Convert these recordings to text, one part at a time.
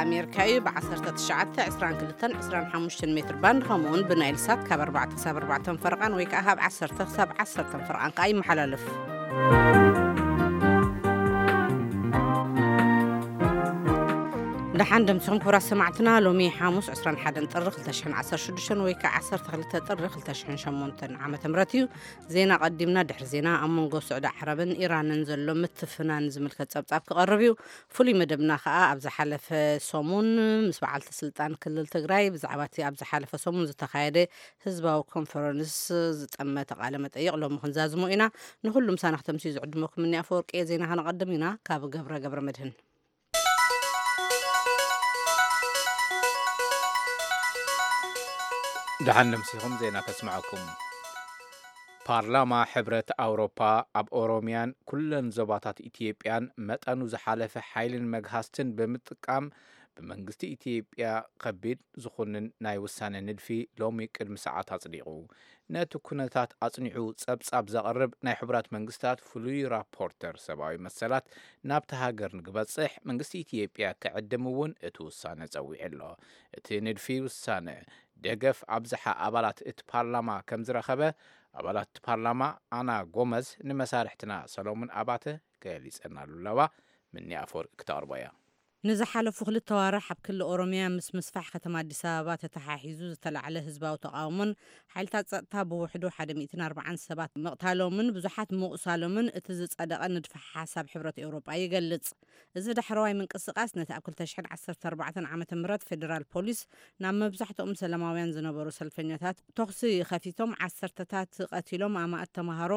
ኣሜሪካ እዩ። ብ1922 25 ሜትር ባንድ፣ ከምኡውን ብናይል ሳት ካብ ኣርባዕተ ክሳብ ኣርባዕተ ፈረቓን ወይ ከዓ ካብ ዓሰርተ ክሳብ ዓሰርተ ፈረቓን ከዓ ይመሓላለፍ። ደሓን ደምሲኹም ክቡራት ሰማዕትና። ሎሚ ሓሙስ ዕስራን ሓደን ጥሪ ክልተ ሽሕን ዓሰርተ ሽዱሽተን ወይ ከዓ ዓሰርተ ክልተ ጥሪ ክልተ ሽሕን ሸሞንተን ዓመተ ምህረት እዩ። ዜና ቀዲምና። ድሕሪ ዜና፣ ኣብ መንጎ ስዑዲ ዓረብን ኢራንን ዘሎ ምትፍናን ዝምልከት ጸብጻብ ክቐርብ እዩ። ፍሉይ መደብና ከኣ ኣብ ዝሓለፈ ሰሙን ምስ በዓልቲ ስልጣን ክልል ትግራይ ብዛዕባ እቲ ኣብ ዝሓለፈ ሰሙን ዝተኻየደ ህዝባዊ ኮንፈረንስ ዝጠመተ ቃለ መጠይቕ ሎሚ ክንዛዝሞ ኢና። ንኹሉ ምሳና ክተምስዩ ዝዕድመኩም እኒ ኣፈወርቂ እየ። ዜና ከነቐድም ኢና። ካብ ገብረ ገብረ መድህን። ደሓን ነምሲኹም። ዜና ከስምዐኩም። ፓርላማ ሕብረት ኣውሮፓ ኣብ ኦሮሚያን ኩለን ዞባታት ኢትዮጵያን መጠኑ ዝሓለፈ ሓይልን መግሃስትን ብምጥቃም ብመንግስቲ ኢትዮጵያ ከቢድ ዝኹንን ናይ ውሳነ ንድፊ ሎሚ ቅድሚ ሰዓት ኣጽዲቑ። ነቲ ኩነታት ኣጽኒዑ ጸብጻብ ዘቕርብ ናይ ሕቡራት መንግስታት ፍሉይ ራፖርተር ሰብኣዊ መሰላት ናብቲ ሃገር ንክበጽሕ መንግስቲ ኢትዮጵያ ክዕድም እውን እቲ ውሳነ ጸዊዑ ኣሎ። እቲ ንድፊ ውሳነ ደገፍ ኣብዝሓ ኣባላት እቲ ፓርላማ ከም ዝረኸበ ኣባላት እቲ ፓርላማ ኣና ጎመዝ ንመሳርሕትና ሰሎሙን ኣባተ ገሊጸናሉ ኣለዋ። ምኒ ኣፈወርቂ ክተቕርቦ እያ። ንዝሓለፉ ክልተ ዋርሕ ኣብ ክልል ኦሮሚያ ምስ ምስፋሕ ከተማ ኣዲስ ኣበባ ተተሓሒዙ ዝተላዕለ ህዝባዊ ተቓውሞን ሓይልታት ጸጥታ ብውሕዱ ሓደ ሚእትን ኣርባዓን ሰባት ምቕታሎምን ብዙሓት ምቑሳሎምን እቲ ዝጸደቐ ንድፈ ሓሳብ ሕብረት ኤውሮጳ ይገልጽ። እዚ ዳሕረዋይ ምንቅስቓስ ነቲ ኣብ ክልተ ሽሕን ዓሰርተ ኣርባዕተን ዓመተ ምህረት ፌደራል ፖሊስ ናብ መብዛሕትኦም ሰላማውያን ዝነበሩ ሰልፈኛታት ተኹሲ ከፊቶም ዓሰርተታት ቀቲሎም ኣማእት ተምሃሮ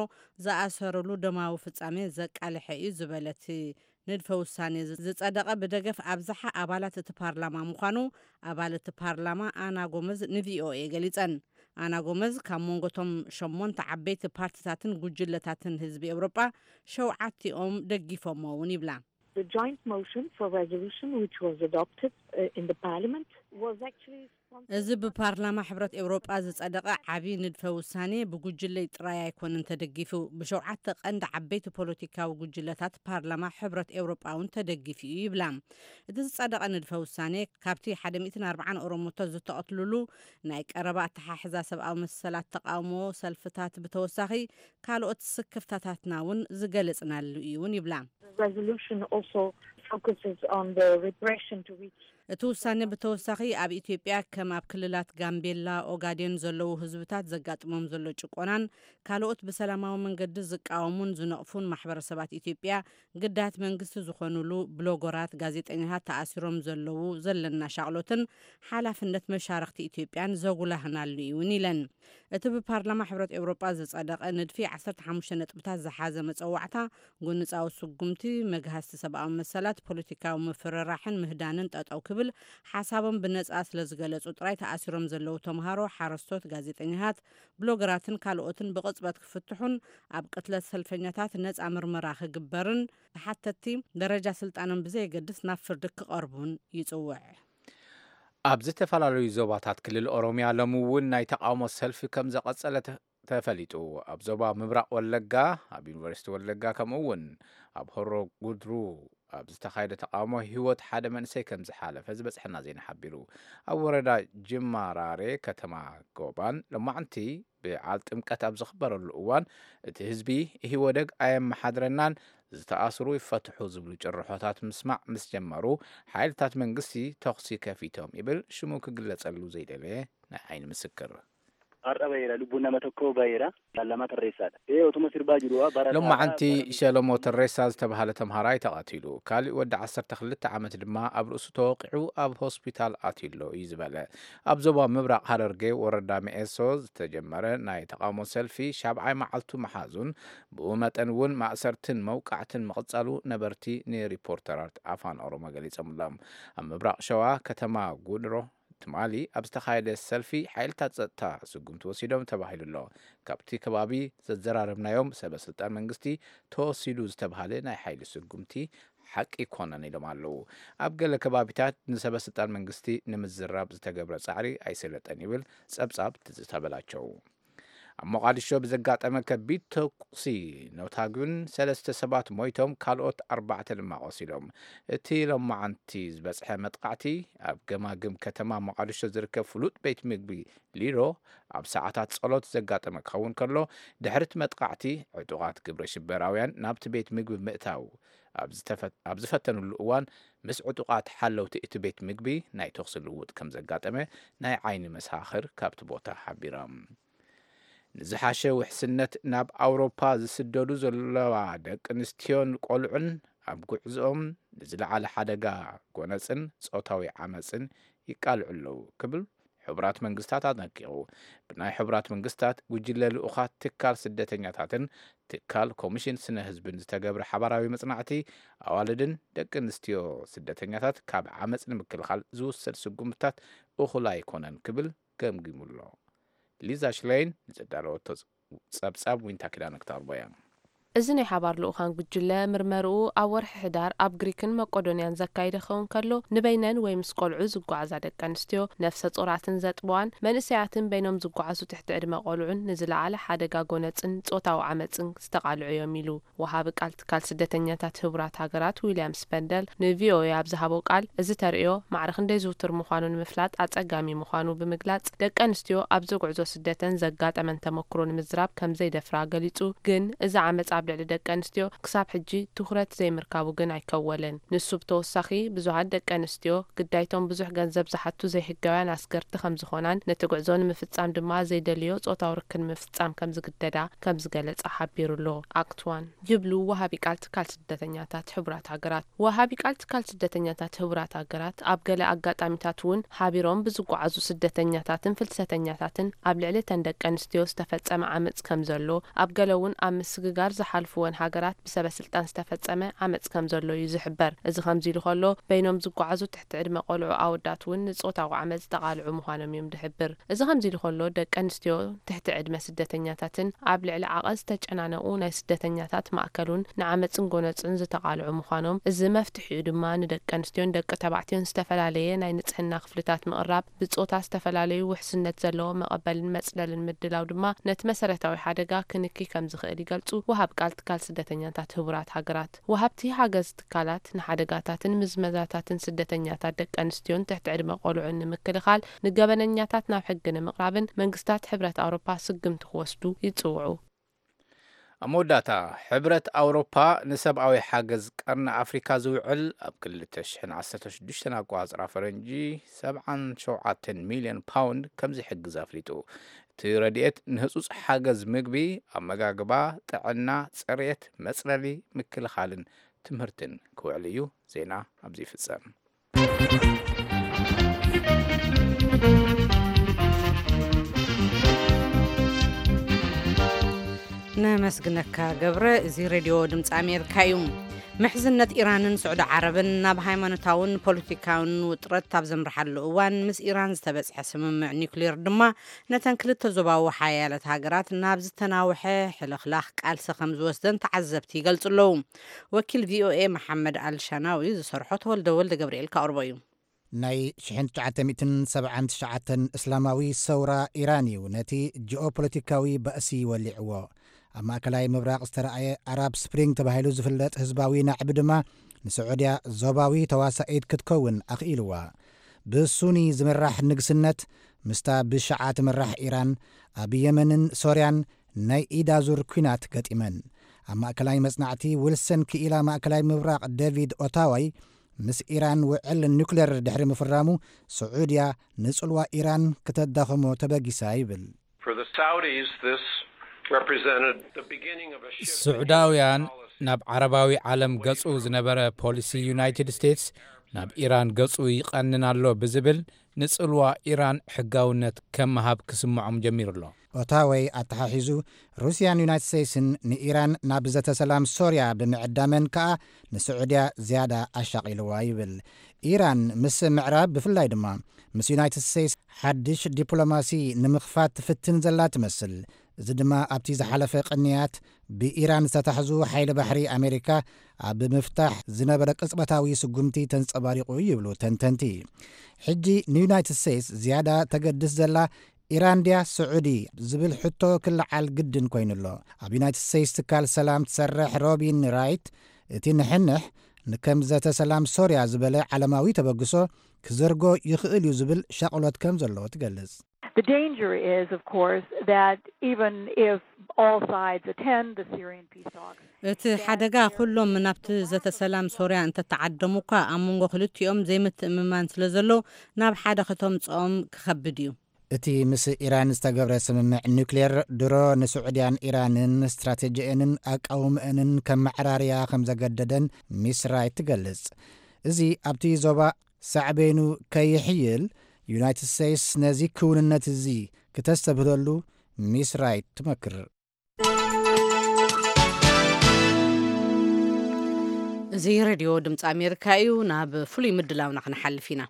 ዝኣሰሩሉ ደማዊ ፍጻሜ ዘቃልሐ እዩ ዝበለ እቲ ንድፈ ውሳኔ ዝጸደቐ ብደገፍ ኣብዝሓ ኣባላት እቲ ፓርላማ ምዃኑ ኣባል እቲ ፓርላማ ኣና ጎመዝ ንቪኦኤ ገሊጸን። ኣና ጎመዝ ካብ መንጎቶም ሸሞንተ ዓበይቲ ፓርቲታትን ጉጅለታትን ህዝቢ ኤውሮጳ ሸውዓቲኦም ደጊፎሞ እውን ይብላ። The joint motion for resolution which was adopted uh, in the parliament was actually sponsored እዚ ብፓርላማ ሕብረት ኤውሮጳ ዝጸደቐ ዓቢ ንድፈ ውሳኔ ብጉጅለይ ጥራይ ኣይኮነን ተደጊፉ፣ ብሸውዓተ ቀንዲ ዓበይቲ ፖለቲካዊ ጉጅለታት ፓርላማ ሕብረት ኤውሮጳ እውን ተደጊፉ እዩ ይብላ። እቲ ዝጸደቐ ንድፈ ውሳኔ ካብቲ ሓደ ሚእትን ኣርባዓን ኦሮሞታት ዝተቐትሉሉ ናይ ቀረባ ኣተሓሕዛ ሰብኣዊ መሰላት ተቓውሞ ሰልፍታት ብተወሳኺ ካልኦት ስክፍታታትና እውን ዝገለጽናሉ እዩ እውን ይብላ። The resolution also focuses on the repression to which እቲ ውሳኔ ብተወሳኺ ኣብ ኢትዮጵያ ከም ኣብ ክልላት ጋምቤላ፣ ኦጋዴን ዘለዉ ህዝብታት ዘጋጥሞም ዘሎ ጭቆናን ካልኦት ብሰላማዊ መንገዲ ዝቃወሙን ዝነቕፉን ማሕበረሰባት ኢትዮጵያ ግዳያት መንግስቲ ዝኾኑሉ ብሎገራት፣ ጋዜጠኛታት፣ ተኣሲሮም ዘለዉ ዘለና ሻቕሎትን ሓላፍነት መሻርኽቲ ኢትዮጵያን ዘጉላህናሉ እውን ኢለን። እቲ ብፓርላማ ሕብረት ኤውሮጳ ዝጸደቐ ንድፊ ዓሰርተ ሓሙሽተ ነጥብታት ዝሓዘ መጸዋዕታ፣ ጎንጻዊ ስጉምቲ፣ መግሃስቲ ሰብኣዊ መሰላት፣ ፖለቲካዊ ምፍርራሕን ምህዳንን ጠጠው ክብል ሓሳቦም ብነጻ ስለ ዝገለጹ ጥራይ ተኣሲሮም ዘለዉ ተምሃሮ፣ ሓረስቶት፣ ጋዜጠኛታት፣ ብሎገራትን ካልኦትን ብቕጽበት ክፍትሑን ኣብ ቅትለት ሰልፈኛታት ነጻ ምርመራ ክግበርን ተሓተትቲ ደረጃ ስልጣኖም ብዘየገድስ ናብ ፍርዲ ክቐርቡን ይጽውዕ። ኣብ ዝተፈላለዩ ዞባታት ክልል ኦሮሚያ ሎሚ እውን ናይ ተቓውሞ ሰልፊ ከም ዘቐጸለ ተ-፣ ተፈሊጡ። ኣብ ዞባ ምብራቕ ወለጋ፣ ኣብ ዩኒቨርሲቲ ወለጋ፣ ከምኡ እውን ኣብ ሆሮ ጉድሩ ኣብ ዝተኻየደ ተቓውሞ ህይወት ሓደ መንእሰይ ከም ዝሓለፈ ዝበጽሐና ዜና ሓቢሩ። ኣብ ወረዳ ጅማራሬ ከተማ ጎባን ሎማዕንቲ በዓል ጥምቀት ኣብ ዝኽበረሉ እዋን እቲ ህዝቢ ኢህወደግ ኣየመሓድረናን ዝተኣስሩ ይፈትሑ ዝብሉ ጭርሖታት ምስማዕ ምስ ጀመሩ ሓይልታት መንግስቲ ተኹሲ ከፊቶም ይብል ሽሙ ክግለጸሉ ዘይደለየ ናይ ዓይኒ ምስክር። Har'a baheera, lubbuun nama tokkoo baheera. Lama tarreessaadha. Ee, otuma sirbaa jiru, ah, barataa, ሎማዓንቲ barataa. ሸለሞ ተሬሳ ዝተባህለ ተምሃራይ ተቐቲሉ፣ ካሊእ ወዲ ዓሰርተ ክልተ ዓመት ድማ ኣብ ርእሱ ተወቂዑ ኣብ ሆስፒታል ኣትዩ ኣሎ እዩ ዝበለ። ኣብ ዞባ ምብራቕ ሃረርጌ ወረዳ መኤሶ ዝተጀመረ ናይ ተቓውሞ ሰልፊ ሻብዓይ መዓልቱ መሓዙን ብኡ መጠን እውን ማእሰርትን መውቃዕትን ምቕጻሉ ነበርቲ ንሪፖርተራት ኣፋን ኦሮሞ ገሊጾምሎም። ኣብ ምብራቕ ሸዋ ከተማ ጉድሮ ትማሊ ኣብ ዝተኻየደ ሰልፊ ሓይልታት ጸጥታ ስጉምቲ ወሲዶም ተባሂሉ ኣሎ። ካብቲ ከባቢ ዘዘራረብናዮም ሰበ ስልጣን መንግስቲ ተወሲዱ ዝተባህለ ናይ ሓይሊ ስጉምቲ ሓቂ ኣይኮነን ኢሎም ኣለዉ። ኣብ ገለ ከባቢታት ንሰበ ስልጣን መንግስቲ ንምዝራብ ዝተገብረ ጻዕሪ ኣይሰለጠን ይብል ጸብጻብ ትዝታ በላቸው። ኣብ ሞቓዲሾ ብዘጋጠመ ከቢድ ተኩሲ ነውታጉን ሰለስተ ሰባት ሞይቶም፣ ካልኦት ኣርባዕተ ድማ ቆሲሎም። እቲ ሎማዓንቲ ዝበጽሐ መጥቃዕቲ ኣብ ገማግም ከተማ ሞቓዲሾ ዝርከብ ፍሉጥ ቤት ምግቢ ሊሮ ኣብ ሰዓታት ጸሎት ዘጋጠመ ክኸውን ከሎ፣ ድሕሪ እቲ መጥቃዕቲ ዕጡቓት ግብረ ሽበራውያን ናብቲ ቤት ምግቢ ምእታው ኣብ ዝተፈ-፣ ኣብ ዝፈተኑሉ እዋን፣ ምስ ዕጡቓት ሓለውቲ እቲ ቤት ምግቢ ናይ ተኹሲ ልውውጥ ከም ዘጋጠመ ናይ ዓይኒ መሳኽር ካብቲ ቦታ ሓቢሮም። ንዝሓሸ ውሕስነት ናብ ኣውሮፓ ዝስደዱ ዘለዋ ደቂ ኣንስትዮን ቆልዑን ኣብ ጉዕዞኦም ንዝለዓለ ሓደጋ ጎነጽን ጾታዊ ዓመጽን ይቃልዑ ኣለዉ ክብል ሕቡራት መንግስታት ኣጠንቂቑ። ብናይ ሕቡራት መንግስታት ጉጅለ ልኡኻት ትካል ስደተኛታትን ትካል ኮሚሽን ስነ ህዝብን ዝተገብረ ሓባራዊ መጽናዕቲ፣ ኣዋልድን ደቂ ኣንስትዮ ስደተኛታት ካብ ዓመጽ ንምክልኻል ዝውሰድ ስጉምታት እኹል ኣይኮነን ክብል ገምጊሙ ኣሎ። ሊዛ ሽለይን ንዘዳለወቶ ጸብጻብ ዊንታ ኪዳነ ክተቕርቦ እያ። እዚ ናይ ሓባር ልኡኻን ጉጅለ ምርመርኡ ኣብ ወርሒ ሕዳር ኣብ ግሪክን መቆዶንያን ዘካይደ ክኸውን ከሎ፣ ንበይነን ወይ ምስ ቆልዑ ዝጓዓዛ ደቂ ኣንስትዮ፣ ነፍሰ ጾራትን ዘጥበዋን መንእሰያትን በይኖም ዝጓዓዙ ትሕቲ ዕድመ ቆልዑን ንዝለዓለ ሓደጋ ጎነጽን ጾታዊ ዓመጽን ዝተቓልዑ እዮም ኢሉ። ወሃቢ ቃል ትካል ስደተኛታት ህቡራት ሃገራት ዊልያም ስፐንደል ንቪኦኤ ኣብ ዝሃቦ ቃል፣ እዚ ተርእዮ ማዕረ ክንደይ ዝውቱር ምዃኑ ንምፍላጥ ኣጸጋሚ ምዃኑ ብምግላጽ፣ ደቂ ኣንስትዮ ኣብዚ ጉዕዞ ስደተን ዘጋጠመን ተመክሮ ንምዝራብ ከም ዘይደፍራ ገሊጹ። ግን እዚ ዓመጽ ኣብ ልዕሊ ደቂ ኣንስትዮ ክሳብ ሕጂ ትኹረት ዘይምርካቡ ግን ኣይከወለን። ንሱ ብተወሳኺ፣ ብዙሃት ደቂ ኣንስትዮ ግዳይቶም ብዙሕ ገንዘብ ዝሓቱ ዘይሕጋውያን ኣስገርቲ ከም ዝኾናን፣ ነቲ ጉዕዞ ንምፍጻም ድማ ዘይደልዮ ጾታዊ ርክብ ንምፍጻም ከም ዝግደዳ ከም ዝገለጻ ሓቢሩ ኣሎ። ኣክትዋን ይብሉ ወሃቢ ቃል ትካል ስደተኛታት ሕቡራት ሃገራት። ወሃቢ ቃል ትካል ስደተኛታት ሕቡራት ሃገራት፣ ኣብ ገለ ኣጋጣሚታት እውን ሓቢሮም ብዝጓዓዙ ስደተኛታትን ፍልሰተኛታትን ኣብ ልዕሊ እተን ደቂ ኣንስትዮ ዝተፈጸመ ዓመጽ ከም ዘሎ፣ ኣብ ገለ እውን ኣብ ምስግጋር ዝሓልፍወን ሃገራት ብሰበ ስልጣን ዝተፈጸመ ዓመጽ ከም ዘሎ እዩ ዝሕበር። እዚ ከምዚ ኢሉ ከሎ፣ በይኖም ዝጓዓዙ ትሕቲ ዕድመ ቆልዑ ኣወዳት እውን ንጾታዊ ዓመጽ ዝተቓልዑ ምዃኖም እዮም ዝሕብር። እዚ ከምዚ ኢሉ ከሎ፣ ደቂ ኣንስትዮ ትሕቲ ዕድመ ስደተኛታትን ኣብ ልዕሊ ዓቐን ዝተጨናነቑ ናይ ስደተኛታት ማእከሉን ንዓመጽን ጎነጽን ዝተቓልዑ ምዃኖም፣ እዚ መፍትሒኡ ድማ ንደቂ ኣንስትዮን ደቂ ተባዕትዮን ዝተፈላለየ ናይ ንጽህና ክፍልታት ምቕራብ፣ ብጾታ ዝተፈላለዩ ውሕስነት ዘለዎ መቐበልን መጽለልን ምድላው ድማ ነቲ መሰረታዊ ሓደጋ ክንኪ ከም ዝኽእል ይገልጹ ወሃብ ቃል ትካል ስደተኛታት ህቡራት ሃገራት። ወሃብቲ ሓገዝ ትካላት ንሓደጋታትን ምዝመዛታትን ስደተኛታት ደቂ ኣንስትዮን ትሕቲ ዕድመ ቆልዑን ንምክልኻል ንገበነኛታት ናብ ሕጊ ንምቕራብን መንግስታት ሕብረት ኣውሮፓ ስግምቲ ክወስዱ ይጽውዑ። ኣብ መወዳእታ፣ ሕብረት ኣውሮፓ ንሰብኣዊ ሓገዝ ቀርኒ ኣፍሪካ ዝውዕል ኣብ ክልተ ሽሕን ዓሰርተ ሽዱሽተን ኣቆጻጽራ ፈረንጂ ሰብዓን ሸውዓተን ሚልዮን ፓውንድ ከም ዝሕግዝ ኣፍሊጡ። እቲ ረድኤት ንህጹጽ ሓገዝ ምግቢ፣ ኣመጋግባ፣ ጥዕና፣ ጽሬት፣ መጽለሊ፣ ምክልኻልን ትምህርትን ክውዕል እዩ። ዜና ኣብዚ ይፍጸም። ነመስግነካ ገብረ። እዚ ሬድዮ ድምፂ ኣሜሪካ እዩ። ምሕዝነት ኢራንን ስዑዲ ዓረብን ናብ ሃይማኖታውን ፖለቲካውን ውጥረት ኣብ ዘምርሓሉ እዋን፣ ምስ ኢራን ዝተበፅሐ ስምምዕ ኒውክሌር ድማ ነተን ክልተ ዞባዊ ሓያለት ሃገራት ናብ ዝተናውሐ ሕልኽላኽ ቃልሲ ከም ዝወስደን ተዓዘብቲ ይገልጹ ኣለዉ። ወኪል ቪኦኤ መሓመድ ኣልሻናዊ ዝሰርሖ ተወልደ ወልደ ገብርኤል ከቕርቦ እዩ። ናይ ሽሕን ትሽዓተ ሚእትን ሰብዓን ትሽዓተን እስላማዊ ሰውራ ኢራን እዩ ነቲ ጂኦፖለቲካዊ ባእሲ ወሊዕዎ። ኣብ ማእከላይ ምብራቕ ዝተረኣየ ኣራብ ስፕሪንግ ተባሂሉ ዝፍለጥ ህዝባዊ ናዕቢ ድማ ንስዑድያ ዞባዊ ተዋሳኢት ክትከውን ኣኽኢልዋ። ብሱኒ ዝምራሕ ንግስነት ምስታ ብሽዓ ትምራሕ ኢራን ኣብ የመንን ሶርያን ናይ ኢድ ኣዙር ኲናት ገጢመን። ኣብ ማእከላይ መጽናዕቲ ዊልሰን ክኢላ ማእከላይ ምብራቕ ዴቪድ ኦታዋይ፣ ምስ ኢራን ውዕል ኒውክሌር ድሕሪ ምፍራሙ፣ ስዑድያ ንጽልዋ ኢራን ክተዳኸሞ ተበጊሳ ይብል። For the Saudis, this represented the beginning of a shift in ስዑዳውያን Iran's policy. ናብ ዓረባዊ ዓለም ገጹ ዝነበረ ፖሊሲ ዩናይትድ ስቴትስ ናብ ኢራን ገጹ ይቐንን ኣሎ ብዝብል፣ ንጽልዋ ኢራን ሕጋውነት ከም ምሃብ ክስምዖም ጀሚሩ ኣሎ። ኦታወይ ኣተሓሒዙ፣ ሩስያን ዩናይትድ ስቴትስን ንኢራን ናብ ዘተ ሰላም ሶርያ ብምዕዳመን ከኣ ንስዑድያ ዝያዳ ኣሻቒልዋ ይብል። ኢራን ምስ ምዕራብ፣ ብፍላይ ድማ ምስ ዩናይትድ ስቴትስ፣ ሓድሽ ዲፕሎማሲ ንምኽፋት ትፍትን ዘላ ትመስል። እዚ ድማ ኣብቲ ዝሓለፈ ቅንያት ብኢራን ዝተታሕዙ ሓይሊ ባሕሪ ኣሜሪካ ኣብ ምፍታሕ ዝነበረ ቅጽበታዊ ስጉምቲ ተንጸባሪቑ ይብሉ ተንተንቲ። ሕጂ ንዩናይትድ ስቴትስ ዝያዳ ተገድስ ዘላ ኢራን ድያ ስዑዲ ዝብል ሕቶ ክለዓል ግድን ኮይኑ ኣሎ። ኣብ ዩናይትድ ስቴትስ ትካል ሰላም ትሰርሕ ሮቢን ራይት፣ እቲ ንሕንሕ ንከም ዘተ ሰላም ሶርያ ዝበለ ዓለማዊ ተበግሶ ክዘርጎ ይኽእል እዩ ዝብል ሻቕሎት ከም ዘለዎ ትገልጽ። The danger is, of course, that even if all sides attend the Syrian peace talks, እቲ ሓደጋ ኩሎም ናብቲ ዘተ ሰላም ሶርያ እንተተዓደሙ እኳ ኣብ መንጎ ክልቲኦም ዘይምትእምማን ስለ ዘሎ ናብ ሓደ ከተምጽኦም ክኸብድ እዩ። እቲ ምስ ኢራን ዝተገብረ ስምምዕ ኒውክሌር ድሮ ንስዑድያን ኢራንን ስትራቴጂአንን ኣቃውምአንን ከመዕራርያ ከም ዘገደደን ሚስ ራይት ትገልጽ። እዚ ኣብቲ ዞባ ሳዕቤኑ ከይሕይል ዩናይትድ ስቴትስ ነዚ ክውንነት እዚ ክተስተብህለሉ ሚስ ራይት ትመክር። እዚ ሬድዮ ድምፂ ኣሜሪካ እዩ። ናብ ፍሉይ ምድላውና ክንሓልፍ ኢና።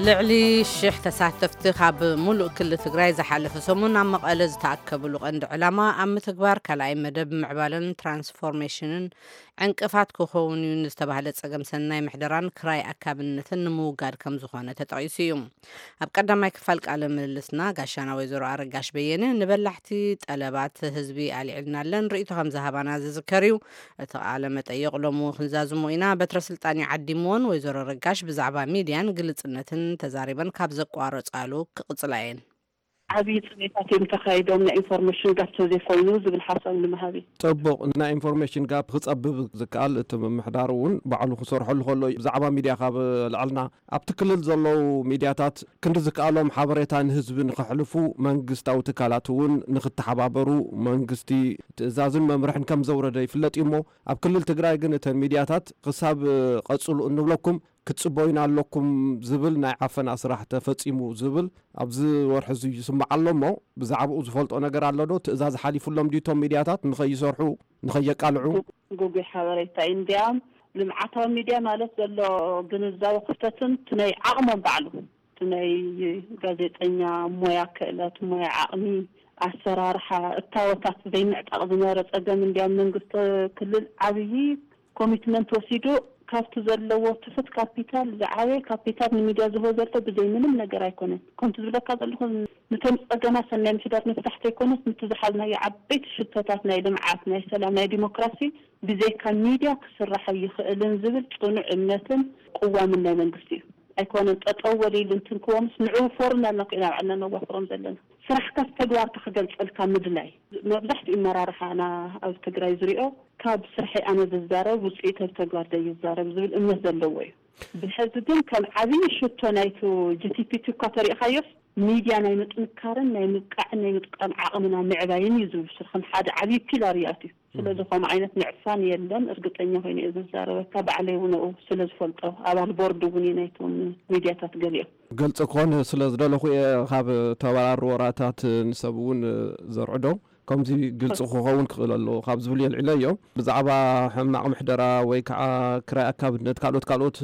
ልዕሊ ሽሕ ተሳተፍቲ ካብ ሙሉእ ክልል ትግራይ ዝሓለፈ ሰሙን ኣብ መቐለ ዝተኣከብሉ ቀንዲ ዕላማ ኣብ ምትግባር ካልኣይ መደብ ምዕባለን ትራንስፎርሜሽንን ዕንቅፋት ክኸውን እዩ ንዝተባህለ ጸገም ሰናይ ምሕደራን ክራይ ኣካብነትን ንምውጋድ ከም ዝኾነ ተጠቒሱ እዩ። ኣብ ቀዳማይ ክፋል ቃለ ምልልስና ጋሻና ወይዘሮ ኣረጋሽ በየነ ንበላሕቲ ጠለባት ህዝቢ ኣልዒልናለን ርእይቶ ከም ዝሃባና ዝዝከር እዩ። እቲ ቃለ መጠይቕ ሎሚ እውን ክንዛዝሞ ኢና። በትረ ስልጣን እዩ ዓዲምዎን ወይዘሮ ኣረጋሽ ብዛዕባ ሚድያን ግልጽነትን ተዛሪበን ካብ ዘቋረጻሉ ክቕጽላ እየን። ዓብዪ ጽሜታት እዮም ተኻይዶም፣ ናይ ኢንፎርሜሽን ጋፕ ተዘይኮይኑ ዝብል ሓሳብ ንምሃብ እዩ። ጽቡቕ፣ ናይ ኢንፎርሜሽን ጋፕ ክጸብብ ዝከኣል እቲ ምምሕዳር እውን ባዕሉ ክሰርሐሉ ከሎ እዩ። ብዛዕባ ሚድያ ካብ ኣልዓልና ኣብቲ ክልል ዘለዉ ሚድያታት ክንዲ ዝከኣሎም ሓበሬታ ንህዝቢ ንኸሕልፉ መንግስታዊ ትካላት እውን ንክተሓባበሩ መንግስቲ ትእዛዝን መምርሕን ከም ዘውረደ ይፍለጥ እዩ። እሞ ኣብ ክልል ትግራይ ግን እተን ሚድያታት ክሳብ ቀጽሉ እንብለኩም ክትጽበዩና ኣለኩም ዝብል ናይ ዓፈና ስራሕ ተፈጺሙ ዝብል ኣብዚ ወርሒ እዚ ይስማዕ ኣሎ። እሞ ብዛዕባኡ ዝፈልጦ ነገር ኣሎ ዶ? ትእዛዝ ሓሊፉሎም ድዩ እቶም ሚድያታት ንኸይሰርሑ ንኸየቃልዑ? ግጉይ ሓበሬታ እዩ። እንዲያም ልምዓታዊ ሚድያ ማለት ዘሎ ግንዛበ ክፍተትን እቲ ናይ ዓቕሞም ባዕሉ እቲ ናይ ጋዜጠኛ ሞያ ክእለት፣ ሞያ ዓቕሚ፣ ኣሰራርሓ እታወታት ዘይምዕጣቕ ዝነበረ ጸገም እንዲያም መንግስቲ ክልል ዓብዪ ኮሚትመንት ወሲዱ ካብቲ ዘለዎ ትሑት ካፒታል ዝዓበየ ካፒታል ንሚድያ ዝህቦ ዘሎ ብዘይ ምንም ነገር ኣይኮነን። ከምቲ ዝብለካ ዘለኹ ነቶም ጸገማት ሰናይ ምሕዳር ምፍታሕ ዘይኮነስ ነቲ ዝሓዝናዮ ዓበይቲ ሽቶታት ናይ ልምዓት፣ ናይ ሰላም፣ ናይ ዲሞክራሲ ብዘይካ ሚድያ ክስራሕ ኣይኽእልን ዝብል ጽኑዕ እምነትን ቅዋምን ናይ መንግስቲ እዩ። ኣይኮነን ጠጠው ወሊሉ እንትንክዎምስ ንዑ ፎርም ኣልና ኮይና ባዕልና ነዋፍሮም ዘለና። ስራሕካስ ተግባርካ ክገልጸልካ ምድላይ። መብዛሕትኡ መራርሓና ኣብ ትግራይ ዝሪኦ ካብ ስርሐይ ኣነ ዝዛረብ ውፅኢት ኣብ ተግባር ዘይዛረብ ዝብል እምነት ዘለዎ እዩ። ብሕዚ ግን ከም ዓብዪ ሽቶ ናይቱ ጂ ቲ ፒ ቲ እኳ ተሪእኻዮስ ሚድያ ናይ ምጥንካርን ናይ ምብቃዕን ናይ ምጥቃም ዓቕምና ምዕባይን እዩ ዝብል ስርክም ሓደ ዓብዪ ፒላር እዩ ኣትዩ። ስለዚ ከምኡ ዓይነት ምዕፋን የለን። እርግጠኛ ኮይነ እየ ዝዛረበካ፣ ባዕለይ እውን ኣብኡ ስለ ዝፈልጦ፣ ኣባል ቦርድ እውን እየ ናይቶም ሚድያታት ገሊኦም። ግልፂ ክኾን ስለ ዝደለኹ እየ ካብ ተበራሪ ወራታት ንሰብ እውን ዘርዕዶ። ከምዚ ግልፂ ክኸውን ክኽእል ኣለዎ ካብ ዝብል የልዕለዮ። ብዛዕባ ሕማቕ ምሕደራ ወይ ከዓ ክራይ ኣካብነት ካልኦት ካልኦት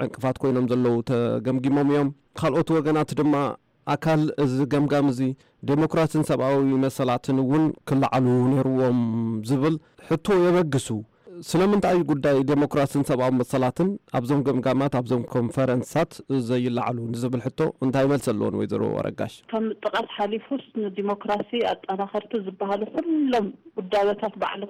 ዕንቅፋት ኮይኖም ዘለዉ ተገምጊሞም እዮም። ካልኦት ወገናት ድማ ኣካል እዚ ገምጋም እዚ ዴሞክራሲን ሰብኣዊ መሰላትን እውን ክለዓሉ ነይርዎም ዝብል ሕቶ የበግሱ። ስለምንታይ ጉዳይ ዴሞክራሲን ሰብኣዊ መሰላትን ኣብዞም ገምጋማት ኣብዞም ኮንፈረንሳት ዘይለዓሉ ንዝብል ሕቶ እንታይ መልሲ ኣለዎን ወይዘሮ ኣረጋሽ? ከም ጥቓት ሓሊፉስ ንዲሞክራሲ ኣጠናኸርቲ ዝበሃሉ ኩሎም ውዳበታት ባዕሉ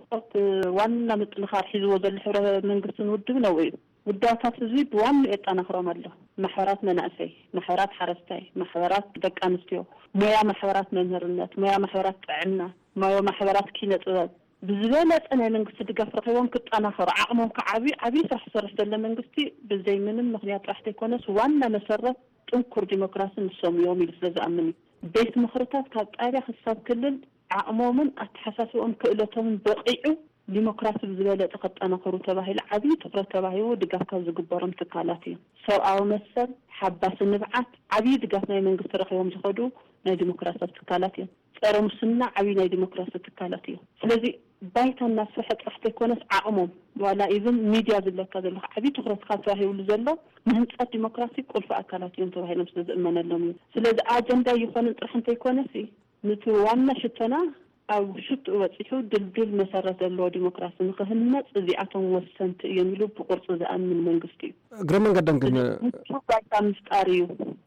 ዋና ምጥንኻር ሒዝዎ ዘሎ ሕብረ መንግስትን ውድብን ኣብኡ እዩ። ውዳበታት ህዝቢ ብዋንኡ የጠናኽሮም ኣሎ። ማሕበራት መናእሰይ፣ ማሕበራት ሓረስታይ፣ ማሕበራት ደቂ ኣንስትዮ፣ ሞያ ማሕበራት መምህርነት፣ ሞያ ማሕበራት ጥዕና፣ ሞያ ማሕበራት ኪነ ጥበብ ብዝበለፀ ናይ መንግስቲ ድጋፍ ረኺቦም ክጠናኸሩ ዓቕሞም ክዓብዩ ዓብዪ ስራሕ ዝሰርሕ ዘሎ መንግስቲ ብዘይ ምንም ምኽንያት ጥራሕ ዘይኮነስ ዋና መሰረት ጥንኩር ዲሞክራሲ ንሶም እዮም ኢሉ ስለ ዝኣምን እዩ። ቤት ምኽርታት ካብ ጣብያ ክሳብ ክልል ዓቕሞምን ኣተሓሳስብኦም ክእለቶምን በቒዑ ዲሞክራሲ ብዝበለፀ ክጠናኸሩ ተባሂሉ ዓብዪ ትኹረት ተባሂቡ ድጋፍ ካብ ዝግበሮም ትካላት እዮም። ሰብኣዊ መሰል፣ ሓባሲ ንብዓት ዓብዪ ድጋፍ ናይ መንግስቲ ረኺቦም ዝኸዱ ናይ ዲሞክራሲያዊ ትካላት እዮም። ፀረ ሙስና ዓብዪ ናይ ዲሞክራሲ ትካላት እዮም። ስለዚ ባይታ እናስፍሐ ጥራሕ ዘይኮነስ ዓቕሞም ዋላ ኢቭን ሚድያ ዝብለካ ዘለኹ ዓብዪ ትኹረት ካብ ተባሂብሉ ዘሎ ንህንፀት ዲሞክራሲ ቁልፊ ኣካላት እዮም ተባሂሎም ስለ ዝእመነሎም እዩ። ስለዚ ኣጀንዳ ይኾንን ጥራሕ እንተይኮነሲ ንቲ ዋና ሽቶና ኣብ ሽትኡ በጺሑ ድልድል መሰረት ዘለዎ ዲሞክራሲ ንክህነጽ እዚኣቶም ወሰንቲ እዮም ኢሉ ብቁርጺ ዝኣምን መንግስቲ እዩ። እግረ መንገደን ግን ምቹ ባይታ ምፍጣር እዩ።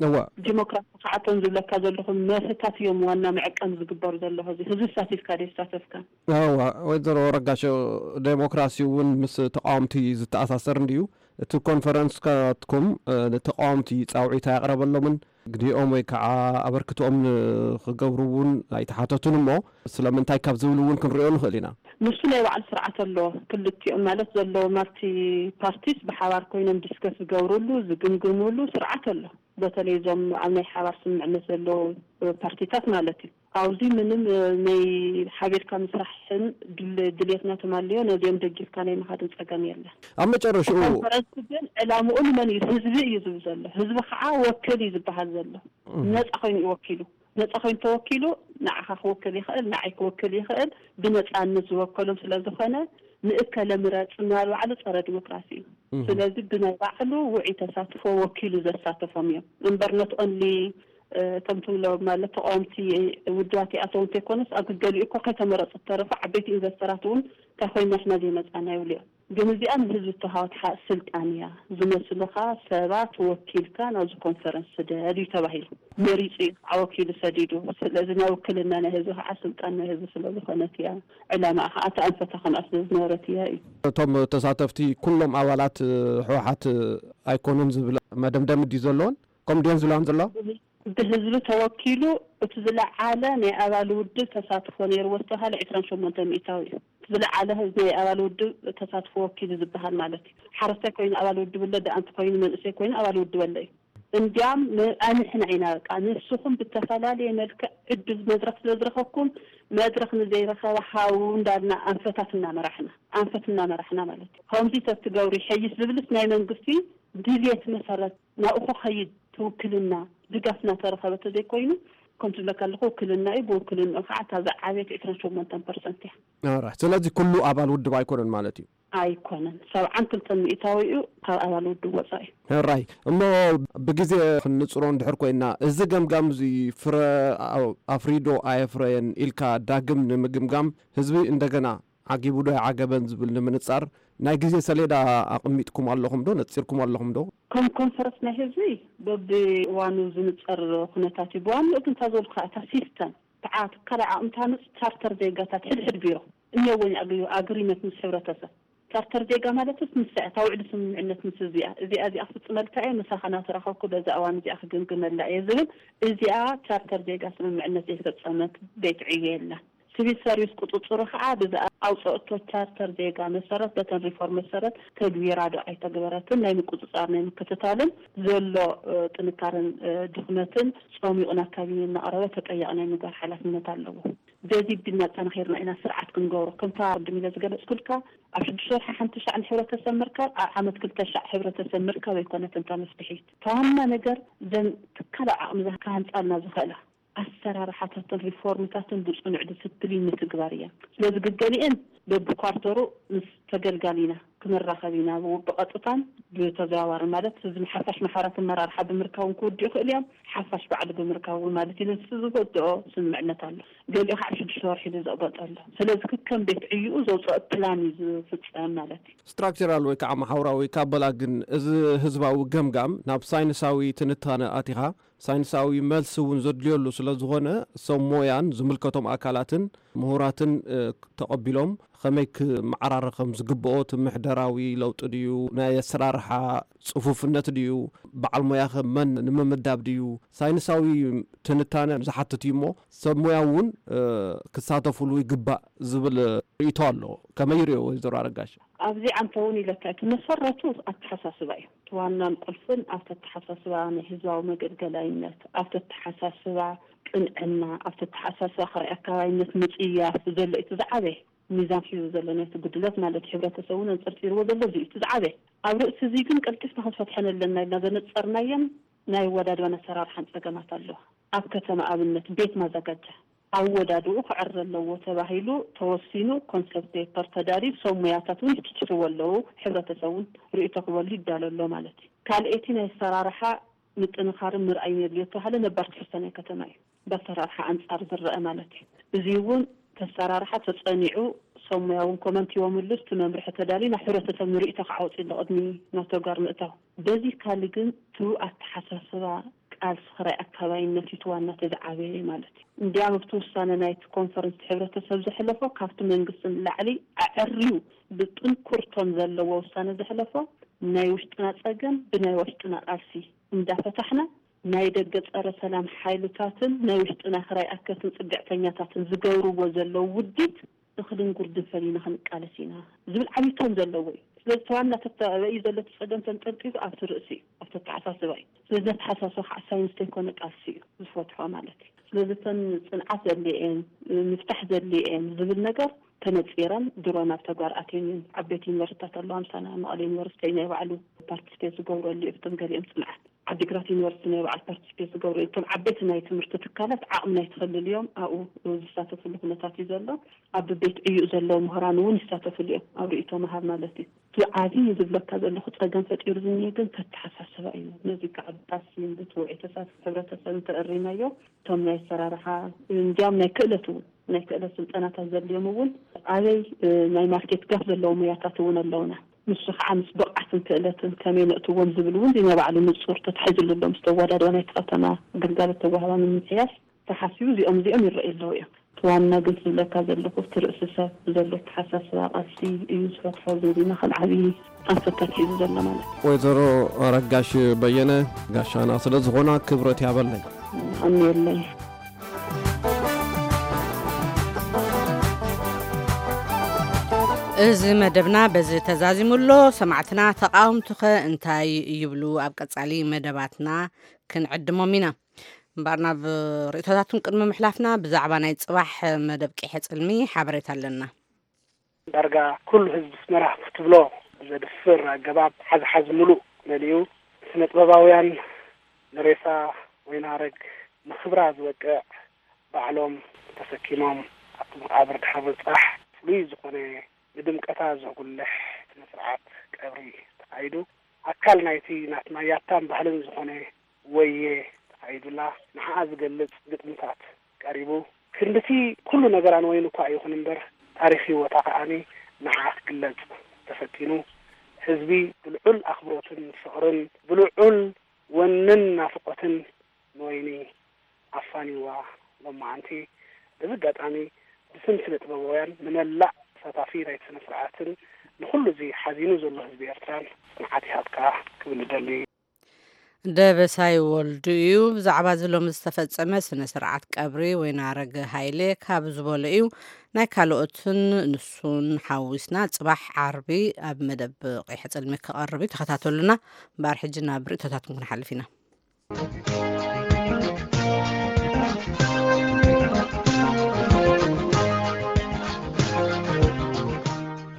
እዋ ዲሞክራሲ ከዓቶም ዝብለካ ዘለኹ መርህታት እዮም ዋና መዐቀን ዝግበሩ ዘለኹ። እዚ ህዝቢ ሳቲፍካ ደ ሳተፍካ እዋ ወይዘሮ ረጋሽ፣ ዴሞክራሲ እውን ምስ ተቃወምቲ ዝተኣሳሰር እንድዩ። እቲ ኮንፈረንስ ካትኩም ንተቃወምቲ ፃውዒት ኣያቕረበሎምን ግዲኦም ወይ ከዓ ኣበርክትኦም ንክገብሩ እውን ኣይተሓተቱን እሞ ስለምንታይ ካብ ዝብሉ እውን ክንሪኦ ንኽእል ኢና። ንሱ ናይ ባዕሉ ስርዓት ኣሎ። ክልቲኦም ማለት ዘለዎም ኣብቲ ፓርቲስ ብሓባር ኮይኖም ዲስከስ ዝገብሩሉ ዝግምግሙሉ ስርዓት ኣሎ። በተለይ እዞም ኣብ ናይ ሓባር ስምምዕነት ዘለዉ ፓርቲታት ማለት እዩ። ኣብዚ ምንም ናይ ሓቢርካ ምስራሕን ድሌትና ተማልዮ ነዚኦም ደጊፍካ ናይ ምኻድን ፀገም የለን። ኣብ መጨረሽኡ ኮንፈረንስ ግን ዕላምኡ ንመን እዩ? ህዝቢ እዩ ዝብል ዘሎ። ህዝቢ ከዓ ወክል እዩ ዝበሃል ዘሎ። ነፃ ኮይኑ እዩ ወኪሉ። ነፃ ኮይኑ ተወኪሉ ንዓኻ ክወክል ይኽእል፣ ንዓይ ክወክል ይኽእል። ብነፃነት ዝወከሎም ስለዝኾነ ንእከለ ምረፅ ምባል ባዕሉ ፀረ ዲሞክራሲ እዩ። ስለዚ ብናይ ባዕሉ ውዑይ ተሳትፎ ወኪሉ ዘሳተፎም እዮም እምበር not only እቶም ትብሎ ማለት ተቃወምቲ ውድባት ይኣተው እንተይኮነስ ኣብ ገሊኡ እኮ ከይተመረፁ ዝተረፉ ዓበይቲ ኢንቨስተራት እውን እንታይ ኮይና ኢሕና ዘይመፃና ይብሉ እዮም። ግን እዚኣ ንህዝቢ ዝተሃወት ስልጣን እያ። ዝመስሉኻ ሰባት ወኪልካ ናብዚ ኮንፈረንስ ስደድ እዩ ተባሂሉ። መሪፁ እዩ ከዓ ወኪሉ ሰዲዱ። ስለዚ ናይ ውክልና ናይ ህዝቢ ከዓ ስልጣን ናይ ህዝቢ ስለዝኾነት እያ። ዕላማኣ ከዓ ተኣንፈታ ከምኣ ስለዝነበረት እያ እዩ። እቶም ተሳተፍቲ ኩሎም ኣባላት ህወሓት ኣይኮኑን ዝብል መደምደሚ ድዩ ዘለዎን? ከምኡ ድየን ዝብላን ዘለዋ? ብህዝቢ ተወኪሉ እቲ ዝለዓለ ናይ ኣባል ውድብ ተሳትፎ ነይርዎ ዝተባሃለ ዕስራን ሸሞንተን ሚእታዊ እዩ። እቲ ዝለዓለ ህዝቢ ናይ ኣባል ውድብ ተሳትፎ ወኪሉ ዝበሃል ማለት እዩ። ሓረስታይ ኮይኑ ኣባል ውድብ ኣሎ፣ ደኣ እንተኮይኑ መንእሰይ ኮይኑ ኣባል ውድብ ኣሎ እዩ። እንዲያም ኣንሕና ኢና በቃ ንስኹም ብተፈላለየ መልክዕ ዕድል መድረክ ስለ ዝረኸብኩም መድረክ ንዘይረኸበ ሃው እንዳልና ኣንፈታት እናመራሕና ኣንፈት እናመራሕና ማለት እዩ። ከምዚ ተትገብሩ ይሐይሽ ዝብልስ ናይ መንግስቲ ድልየት መሰረት ናብኡ ክኸይድ ትውክልና ድጋፍ እናተረኸበ ተዘይኮይኑ ከም ትብለካ ኣለኹ ውክልና እዩ። ብውክልንኡ ከዓ እታ ዝዓበየት ዕስራን ሸሞንተን ፐርሰንት እያ። ኦራይት። ስለዚ ኩሉ ኣባል ውድብ ኣይኮነን ማለት እዩ። ኣይኮነን። ሰብዓን ክልተን ሚእታዊ እዩ ካብ ኣባል ውድብ ወፃኢ። ሕራይ እሞ ብግዜ ክንጽሮ እንድሕር ኮይና እዚ ገምጋም እዚ ፍረ ኣፍሪዶ ኣየፍረየን ኢልካ ዳግም ንምግምጋም ህዝቢ እንደገና ዓጊቡ ዶ ይዓገበን ዝብል ንምንጻር ናይ ግዜ ሰሌዳ ኣቕሚጥኩም ኣለኹም ዶ? ነጺርኩም ኣለኹም ዶ? ከም ኮንፈረንስ ናይ ህዝቢ በብእዋኑ ዝንጸር ኩነታት እዩ። ብዋንኡ ግን እታ ዝበልኩኻ እታ ሲስተም ተዓ ትካል ዓቕሚ ታሃንጽ ቻርተር ዜጋታት ሕድሕድ ቢሮ እኒኦዎ ኣግሪመንት ምስ ሕብረተሰብ ቻርተር ዜጋ ማለት ስ ንሳ እታ ውዕሊ ስምምዕነት ምስ እዚኣ እዚኣ እዚኣ ክፍፅመልካ እየ ምሳኻ ናተራኸብኩ በዛ እዋን እዚኣ ክግምግመላ እየ ዝብል እዚኣ ቻርተር ዜጋ ስምምዕነት ዘይፈፀመት ቤት ዕዮ የላን። ሲቪል ሰርቪስ ቁፅፅሩ ከዓ ብዛ ኣውፀእቶ ቻርተር ዜጋ መሰረት በተን ሪፎርም መሰረት ተግቢራ ዶ ኣይተግበረትን ናይ ምቁፅፃር ናይ ምክትታልን ዘሎ ጥንካረን ድኽመትን ፀሚቑ ናብ ካቢነ እናቕረበ ተጠያቂ ናይ ምግባር ሓላፍነት ኣለዎ። በዚ ቢልና ኣጠናኺርና ኢና ስርዓት ክንገብሮ ከምታ ቅድም ኢለ ዝገለፅኩልካ ኣብ ሽዱሽተ ወርሒ ሓንቲ ሻዕ ንሕብረተሰብ ምርካብ ኣብ ዓመት ክልተ ሻዕ ሕብረተሰብ ምርካብ ኣይኮነትን እታ መፍትሒት። እታ ዋና ነገር ዘን ትካል ዓቕሚ ክሃንፃልና ዝኽእላ ኣሰራርሓታትን ሪፎርምታትን ብፅኑዕ ዲስፕሊን ምትግባር እያ። ስለዚ ግገሊአን በብኳርተሩ ምስ ተገልጋሊ ኢና ክነራኸብ ኢና ብቀጥታን ብተዘዋዋሪ ማለት እዚ ሓፋሽ ማሕበራት ኣመራርሓ ብምርካብ እውን ክውድኡ ይኽእሉ እዮም። ሓፋሽ ባዕሉ ብምርካብ እውን ማለት እዩ። ንሱ ዝወድኦ ስምምዕነት ኣሎ። ገሊኡ ከዓ ሽዱሽተ ወርሒ ኢሉ ዘቕበጠ ኣሎ። ስለዚ ከከም ቤት ዕይኡ ዘውፅኦ ፕላን እዩ ዝፍፀም ማለት እዩ። ስትራክቸራል ወይ ከዓ መሓውራዊ ካበላ ግን እዚ ህዝባዊ ገምጋም ናብ ሳይንሳዊ ትንታነ ኣቲኻ ሳይንሳዊ መልሲ እውን ዘድልየሉ ስለ ዝኾነ ሰብ ሞያን ዝምልከቶም ኣካላትን ምሁራትን ተቐቢሎም ከመይ ክመዓራረ ከም ዝግብኦ እቲ ምሕደራዊ ለውጢ ድዩ ናይ ኣሰራርሓ ፅፉፍነት ድዩ በዓል ሞያ ከ መን ንምምዳብ ድዩ ሳይንሳዊ ትንታነ ዝሓትት እዩ እሞ ሰብ ሞያ እውን ክሳተፉሉ ይግባእ ዝብል ርእይቶ ኣሎ። ከመይ ይሪኦ ወይዘሮ ኣረጋሽ? ኣብዚ ዓንተ እውን ኢለካ እቲ መሰረቱ ኣተሓሳስባ እዩ። እቲ ዋናን ቁልፍን ኣብቲ ኣተሓሳስባ ናይ ህዝባዊ መገልገላይነት፣ ኣብቲ ኣተሓሳስባ ቅንዕና፣ ኣብቲ ኣተሓሳስባ ካልኣይ ኣካባቢነት ምፅያፍ ዘሎ እቲ ዝዓበየ ሚዛን ሒዙ ዘሎ ናይቲ ጉድለት ማለት እዩ። ሕብረተሰብ እውን ኣንፀርፂርዎ ዘሎ እዚ እዩ እቲ ዝዓበየ። ኣብ ርእሲ እዚ ግን ቀልጢፍና ክንፈትሐን ኣለና ኢልና ዘነፀርናየን ናይ ኣወዳድባን ኣሰራርሓን ፀገማት ኣለዋ። ኣብ ከተማ ኣብነት ቤት ማዘጋጃ ኣወዳድኡ ክዕረ ኣለዎ ተባሂሉ ተወሲኑ ኮንሰፕት ፔፐር ተዳልዩ ሰብ ሞያታት እውን ይትችትዎ ኣለዉ ሕብረተሰብ እውን ርእይቶ ክበሉ ይዳሎ ኣሎ ማለት እዩ። ካልኤቲ ናይ ኣሰራርሓ ምጥንኻርን ምርኣይን የድልዮ ዝተባሃለ ነባር ትሕዝቶ ናይ ከተማ እዩ። ብኣሰራርሓ ኣንፃር ዝረአ ማለት እዩ። እዚ እውን ኣሰራርሓ ተጸኒዑ፣ ሰብ ሞያ እውን ኮመንት ሂቦምሉ፣ እቲ መምርሒ ተዳልዩ ናብ ሕብረተሰብ ንርእይቶ ክዓወጽ ኣሎ ቅድሚ ናብ ተግባር ምእታው። በዚ ካሊ ግን እቲ ኣተሓሳስባ ቃልሲ ክራይ ኣካባይነት እዩ እቲ ዋና እቲ ዝዓበየ ማለት እዩ። እንዲያም ኣብቲ ውሳነ ናይቲ ኮንፈረንስ እቲ ሕብረተሰብ ዘሕለፎ ካብቲ መንግስቲ ንላዕሊ ኣዐርዩ ብጥንኩር ቶን ዘለዎ ውሳነ ዘሕለፎ ናይ ውሽጥና ጸገም ብናይ ውሽጥና ቃልሲ እንዳፈታሕና ናይ ደገ ጸረ ሰላም ሓይልታትን ናይ ውሽጥና ክራይ ኣከትን ጽግዕተኛታትን ዝገብርዎ ዘለዉ ውዲት እኽልን ጉርድን ፈሊና ክንቃለስ ኢና ዝብል ዓብዪ ቶን ዘለዎ እዩ። ስለዚ እቲ ዋና ተተ-፣ ተባኢኡ ዘሎ እቲ ጸገም ተንጠልጢሉ ኣብቲ ርእሲ እዩ፣ ኣብቲ ኣተሓሳስባ እዩ። ስለዚ ነተሓሳስባ ከዓ ሳይንስ ዘይኮነ ቃልሲ እዩ ዝፈትሖ ማለት እዩ። ስለዚ እተን ጽንዓት ዘድልየን፣ ምፍታሕ ዘድልየን ዝብል ነገር ተነጺረን ድሮ ናብ ተግባር ኣትየን እየን። ዓበይቲ ዩኒቨርሲቲታት ኣለዋ፣ ምሳና መቐለ ዩኒቨርሲቲ ናይ ባዕሉ ፓርቲስፔት ዝገብረሉ እዩ፣ እቶም ገሊኦም ጽንዓት ዓዲግራት ዩኒቨርሲቲ ናይ ባዕሉ ፓርቲስፔት ዝገብሩ እዮም። እቶም ዓበይቲ ናይ ትምህርቲ ትካላት ዓቕሚ ናይ ትኽልል እዮም፣ ኣብኡ ዝሳተፍሉ ኩነታት እዩ ዘሎ። ኣብ ቤት ዕዩእ ዘለዉ ምሁራን እውን ይሳተፍሉ እዮም፣ ኣብ ርእይቶ ምሃብ ማለት እዩ። እቲ ዓብዪ ዝብለካ ዘለኹ ጸገም ፈጢሩ ዝኒሀ ግን ተተሓሳስባ እዩ። ነዚ ከዓ ብቃልሲ ብትውዒ ተሳትፎ ሕብረተሰብ እንተእሪናዮ፣ እቶም ናይ ኣሰራርሓ፣ እንዲያም ናይ ክእለት እውን፣ ናይ ክእለት ስልጠናታት ዘድልዮም እውን ኣበይ፣ እ፣ ናይ ማርኬት ጋፍ ዘለዎም ሞያታት እውን ኣለውና። ንሱ ከዓ ምስ ብቕዓትን ክእለትን ከመይ ነእትዎም ዝብል እውን ናይ ባዕሉ ንጹር ተታሒዙሉ ኣሎ። ምስ ተወዳድባ ናይቲ ከተማ ግልጋሎት ተዋህባ ንምምሕያሽ ተሓሲቡ እዚኦም እዚኦም ይረኣዩ ኣለዉ እዮም። እቲ ዋና ግን ዝብለካ ዘለኹ እቲ ርእሲ ሰብ ብዘሎ ኣተሓሳስባ ቃልሲ እዩ ዝፈትሖ ዝብል ኢና ከም ዓብዪ ኣንፈት ተታሒዙ ዘሎ ማለት እዩ። ወይዘሮ ረጋሽ በየነ ጋሻና ስለ ዝኾና ክብረት ያበለይ። ኣሜለይ። እዚ መደብና በዚ ተዛዚሙ ኣሎ። ሰማዕትና ተቓወምቱኸ እንታይ ይብሉ? ኣብ ቀጻሊ መደባትና ክንዕድሞም ኢና። እምበኣር ናብ ርእይቶታቱን ቅድሚ ምሕላፍና ብዛዕባ ናይ ጽባሕ መደብ ቂሐ ጽልሚ ሓበሬታ ኣለና። ዳርጋ ኩሉ ህዝቢ ኣስመራ ክትብሎ ብዘድፍር ኣገባብ ሓዝሓዝ ምሉእ መሊኡ፣ ስነ ጥበባውያን ንሬሳ ወይናረግ ንኽብራ ዝበቅዕ ባዕሎም ተሰኪሞም ኣብቲ መቓብር ድሕሪ ምብጻሕ ፍሉይ ዝኾነ ንድምቀታ ዘጉልሕ ስነ ስርዓት ቀብሪ ተኻይዱ። ኣካል ናይቲ ናትና ያታን ባህልን ዝኾነ ወየ ተኻይዱላ ንዓኣ ዝገልጽ ግጥምታት ቀሪቡ። ክንድቲ ኩሉ ነገራን ወይኑ እኳ ይኹን እምበር ታሪኽ ህይወታ ከኣኒ ንዓኣ ክግለጽ ተፈቲኑ። ህዝቢ ብልዑል ኣኽብሮትን ፍቕርን ብልዑል ወንን ናፍቖትን ንወይኒ ኣፋንይዋ ሎማዓንቲ። በዚ ኣጋጣሚ ብስም ስነ ጥበባውያን ንመላእ ተሳታፊ ናይቲ ስነ ስርዓትን ንኹሉ እዚ ሓዚኑ ዘሎ ህዝቢ ኤርትራን ጽንዓት ይሃብካ ክብል እደሊ። ደበሳይ ወልዱ እዩ። ብዛዕባ እዚ ሎሚ ዝተፈጸመ ስነ ስርዓት ቀብሪ ወይናረግ ሃይለ ካብ ዝበሎ እዩ። ናይ ካልኦትን ንሱን ሓዊስና ጽባሕ ዓርቢ ኣብ መደብ ቂሐ ጽልሚ ክቐርብ እዩ። ተኸታተሉና። እምበኣር ሕጂ ናብ ርእይቶታትኩም ክንሓልፍ ኢና።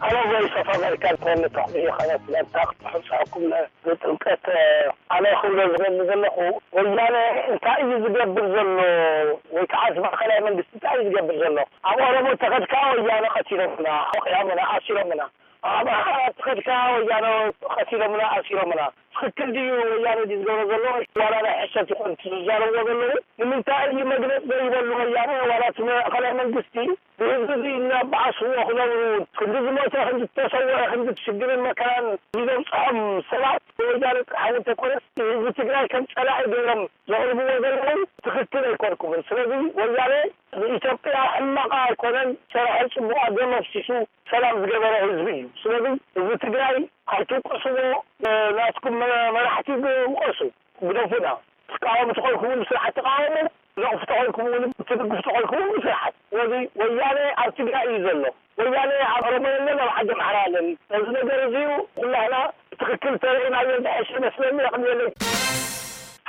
ኣነ ቮይስ ኦፍ ኣሜሪካ ክወልድ ተኽብዮ ከመት መርታ ክሕብፀኩም ንጥምቀት ኣነ ክብሎ ዝደሊ ዘለኹ ወያነ እንታይ እዩ ዝገብር ዘሎ ወይ ከዓ እዚ ማእኸላይ መንግስቲ እንታይ እዩ ዝገብር ዘሎ ኣብ ኦሮሞ ተኸድካ ወያነ ቀቲሎምና ወቂዖምና ኣሲሮምና ኣብ ኣምሓራ ተኸድካ ወያነ ቀቲሎምና ኣሲሮምና ትኽክል ድዩ ወያነ ድዩ ዝገብሮ ዘሎ ዋላ ናይ ሕሰት ይኾን ዝዛረብዎ ዘለዉ ንምንታይ እዩ መግለፂ ዘይበሉ ወያነ ዋላ እቲ ማእኸላይ መንግስቲ ብህዝቢ እዚ እናበዓስዎ ክነብሩ ክንዲ ዝሞተ ክንዲ ዝተሰወረ ክንዲ ሽግርን መከራን ንዘብፅሖም ሰባት ወያነ ጥራሕ እውን ተኮነስ ንህዝቢ ትግራይ ከም ፀላኢ ገይሮም ዘቕርብዎ ዘለዉ ትኽክል ኣይኮንኩምን ስለዚ ወያነ ንኢትዮጵያ ሕማቕ ኣይኮነን ሰራሒ ፅቡቕ ደም ኣፍሲሱ ሰላም ዝገበረ ህዝቢ እዩ ስለዚ ህዝቢ ትግራይ ኣይትውቀስዎ ናትኩም መራሕቲ ውቀሱ ግደፉና ትቃወሙ ተኾንኩም እውን ብስርዓት ተቃወሙ ነቕፉ ተኾንኩም እውን ትድግፉ ተኾንኩም እውን ብስርዓት ስለዚ ወያነ ኣብ ትግራይ እዩ ዘሎ ወያነ ኣብ ኦሮሞ የለን ኣብ ዓዲ ኣምሓራ የለን ነዚ ነገር እዚዩ ኩላህና ብትኽክል ተረኢናዮ ዝሐሸ ይመስለኒ የቕንየለይ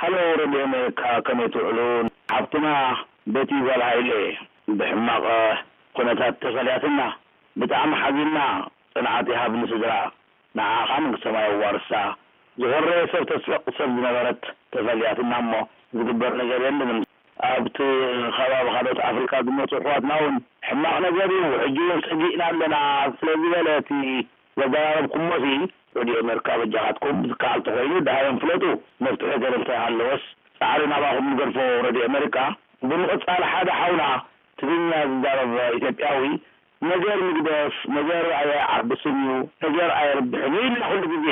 ሃሎ ሬድዮ ኣሜሪካ ከመይ ትውዕሉ ሓፍትና በቲ ጓል ሃይለ ብሕማቕ ኩነታት ተፈልያትና ብጣዕሚ ሓዚንና ፅንዓት ይሃብ ንስድራ ንዓኣ ከዓ መንግስተ ሰማይ የዋርሳ ዝኾረየ ሰብ ተስሕቕ ሰብ ዝነበረት ተፈልያትና እሞ ዝግበር ነገር የለን ኣብቲ ከባቢ ካልኦት ኣፍሪካ ዝመፁ ኣሕዋትና እውን ሕማቕ ነገር እዩ ሕጂ እውን ፀጊእና ኣለና ስለዝበለ እቲ ዘዘራረብኩሞሲ ሬድዮ ኣሜሪካ በጃኻትኩም ዝከኣል ተኾይኑ ደሃዮም ፍለጡ መፍትሒ ገለ እንተሃለወስ ፃዕሪ ናባኹም ንገድፎ ሬድዮ ኣሜሪካ ብምቕፃል ሓደ ሓውና እቲ ትግርኛ ዝዛረብ ኢትዮጵያዊ ነገር ምግደፍ፣ ነገር ኣየዓብስን እዩ፣ ነገር ኣየርብሕን እዩ ኢልና ኩሉ ግዜ።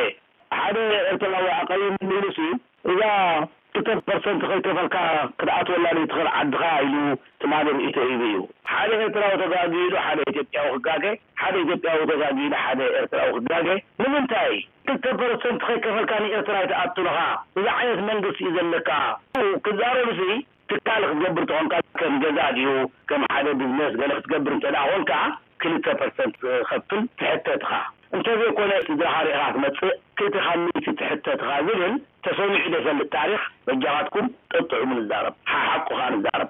ሓደ ኤርትራዊ ኣቐይሙኒ ኢሉሲ፣ እዛ ክልተ ፐርሰንት ከይከፈልካ ክትኣትወላ ዘይትኽእል ዓድኻ ኢሉ ትማሊ ርእይቶ ሂቡ እዩ። ሓደ ኤርትራዊ ተጋግዩ ኢሉ ሓደ ኢትዮጵያዊ ክጋገ፣ ሓደ ኢትዮጵያዊ ተጋግዩ ኢሉ ሓደ ኤርትራዊ ክጋገ። ንምንታይ? ክልተ ፐርሰንት ከይከፈልካ ንኤርትራ ኣይትኣቱን ኢኻ። እዚ ዓይነት መንግስቲ እዩ ዘለካ። ክዛረብሲ ትካል ክትገብር ተኾንካ ከም ገዛ ድዩ፣ ከም ሓደ ቢዝነስ ገለ ክትገብር እንተ ደኣ ኾንካ፣ ክልተ ፐርሰንት ከፍል ትሕተት ኢኻ። እንተዘይኮነ ስድራኻ ርኢኻ ክትመጽእ፣ ክልተ ካብ ሚእቲ ትሕተት ኢኻ ዝብል ተሰሚዑ ዘይፈልጥ ታሪኽ። በጃኻትኩም ጠጥዑሙ ንዛረብ፣ ሓሓቁ ኸኣ ንዛረብ።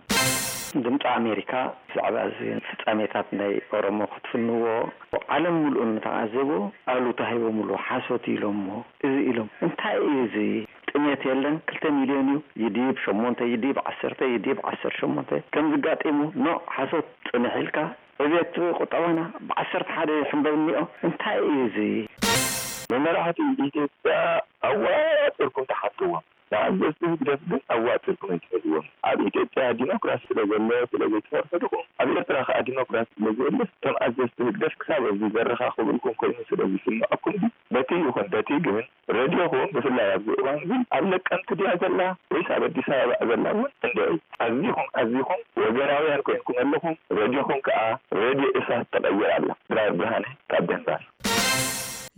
ድምፂ ኣሜሪካ ብዛዕባ እዚ ፍጻሜታት ናይ ኦሮሞ ክትፍንዎ፣ ዓለም ምሉእ ንተዓዘቦ ኣሉታ ሂቦምሉ፣ ሓሶት ኢሎሞ፣ እዚ ኢሎም። እንታይ እዩ እዚ? ጥሜት የለን፣ ክልተ ሚልዮን እዩ፣ ይዲብ ሸሞንተ፣ ይዲብ ዓሰርተ፣ ይዲብ ዓሰርተ ሸሞንተ። ከምዚ ጋጢሙ፣ ኖ፣ ሓሶት ጽንሕ ኢልካ፣ ዕብየት ቁጠባና ብዓሰርተ ሓደ ይሕንበብ እኒኦ። እንታይ እዩ እዚ? ንመራሕቲ ኢትዮጵያ ኣዋጺርኩም ተሓትዎም። ንኣዘዝቲ ህግደፍ ግን ኣዋጺርኩም ኣይትፈልዎም። ኣብ ኢትዮጵያ ዲሞክራሲ ስለ ዘሎ ስለ ዘይትፈርሑ ዲኹም? ኣብ ኤርትራ ከኣ ዲሞክራሲ ስለ ዘየለ፣ እቶም ኣዘዝቲ ህግደፍ ክሳብ ኣብዚ ዘረኻኽብልኩም ኮይኑ ስለ ዝስምዐኩም ድዩ? በቲ ይኹን በቲ ግን፣ ረድዮኹም ብፍላይ ኣብዚ እዋን እዚ ኣብ ነቀምቲ ድያ ዘላ ወይስ ኣብ ኣዲስ ኣበባ ዘላ እውን እንድዒ። ኣዚኹም ኣዚኹም ወገናውያን ኮይንኩም ኣለኹም። ረድዮኹም ከኣ ረድዮ ኢሳት ተቐይራ ኣላ። ድራር ብርሃነ ካብ ደንባር።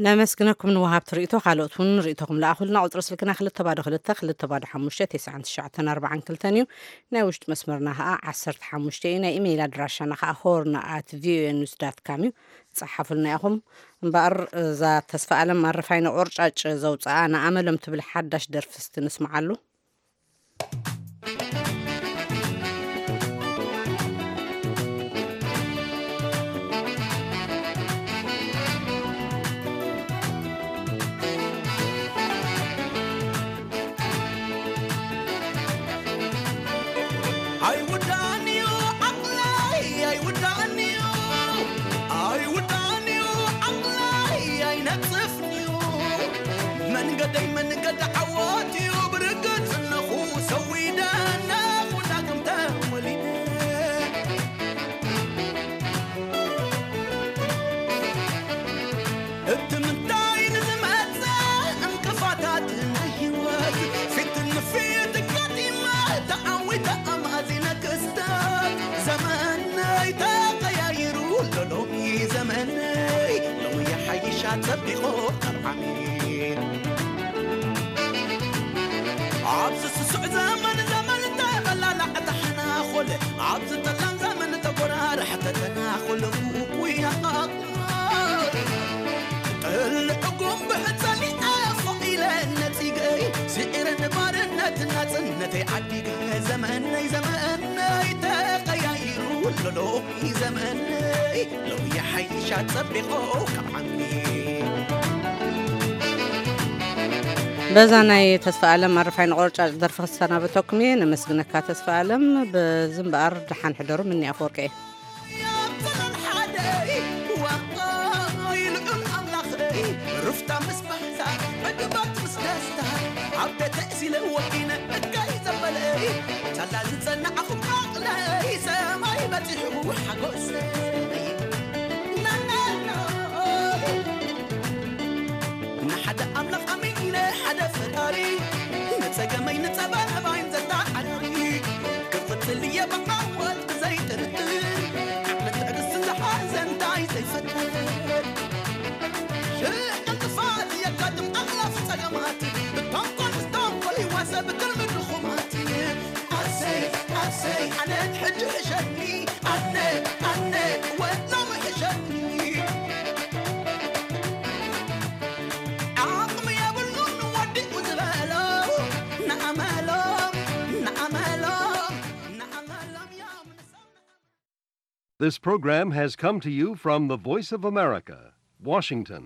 ነመስግነኩም ንወሃብቲ ርእይቶ። ካልኦት እውን ርእይቶኹም ለኣኹልና። ቁጽሪ ስልክና ክልተ ባዶ ክልተ ክልተ ባዶ ሓሙሽተ ተስዓን ትሽዓተን ኣርባዓን ክልተን እዩ። ናይ ውሽጢ መስመርና ከኣ ዓሰርተ ሓሙሽተ እዩ። ናይ ኢሜይል ኣድራሻና ከኣ ሆርን ኣት ቪኦኤ ኒውስ ዳት ካም እዩ። ጸሓፉልና ኢኹም። እምበኣር እዛ ተስፋ ኣለም ኣረፋይነ ቆርጫጭ ዘውጽኣ ንኣመሎም ትብል ሓዳሽ ደርፊ እስቲ ንስምዓሉ። ኣይውዳእን እዩ ዓቕለይ፣ ኣይውዳእን እዩ፣ ኣይውዳእን እዩ ዓቕለይ፣ ኣይነጽፍን እዩ። መንገደይ መንገዲ ዓወት እዩ፣ ብርግጽ ኣለኹ ሰዊደ፣ ኣለኹ ዳግም ተወሊደ። እቲ ምንታይ ንዝመጽእ ዕንቅፋታት ናይ ህይወት ፊት ንፊት ጋጢመ ተዓዊተ ኣማዚነ ክስተት ዘመነይ ተቐያይሩ ኣሎ ሎሚ ዘመነይ ሎሚ ይሓይሻ ጸቢቑ ካብ ዓሚል ኣብዚ ስሱዕ ዘመን ዘመን ተቐላላዕ ተሓናኾለ ኣብዚ ጠላም ዘመን ተጎራርሕ ተተናኾለ ውቁይ ኣቓቕማ ጥልዕ ጉንብዕ ጸሊዐ ፎቕ ኢለ ነጺገይ ስዒረ ንባርነት ናጽነተይ ዓዲገ ዘመነይ ዘመነይ ተቐያይሩ ኣሎ ሎሚ ዘመነይ ሎሚ ይሓይሻ ጸቢቑ ካብ ዓሚ በዛ ናይ ተስፋ ኣለም ኣረፋይ ንቆርጫጭ ደርፊ ክሰናበተኩም እየ። ነመስግነካ ተስፋ ኣለም። በዚ እምበኣር ደሓን ሕደሩ። ምኒ ኣፈወርቂ እየ። ኣብ ዘመን ሓደ ዋይ ልዑል ኣምላኸይ ሩፍታ ምስ ባህታ ዕግባት ምስ ደስታ ኣብ ቤተ እሲለ ወዲነ እካይ ዘበለይ ሳላ ዝጸናዕኹም ዓቕለይ ሰማይ በጺሑ ሓጎሰይ ናናና ንሓደ ኣምላኽ ኣሚነ ሓደ ፈጣሪ ንጸገመይ ንጸበባይን ዘተዓራሪ ክቕጽል እየ ብዓወት ብዘይጥርጥር ዓቕልን ትዕግስትን ዝሓዘ እንታይ ዘይፈጥር ሽሕ ዕንቅፋት የጋጥም ኣላፍ ጸገማት ብተንኮል ዝተንኮል ይዋሰ ብትልሚ ድኹማት ኣሰይ ኣሰይ ኣነ ሕጂ ሕሸኒ ኣነ ኣነ ወሎም ሕሸኒ ዓቕሚ የብሉን ወዲኡ ዝበሎ ንኣመሎም ንኣመሎም ንኣመሎም እዮም This program has come to you from the Voice of America, Washington.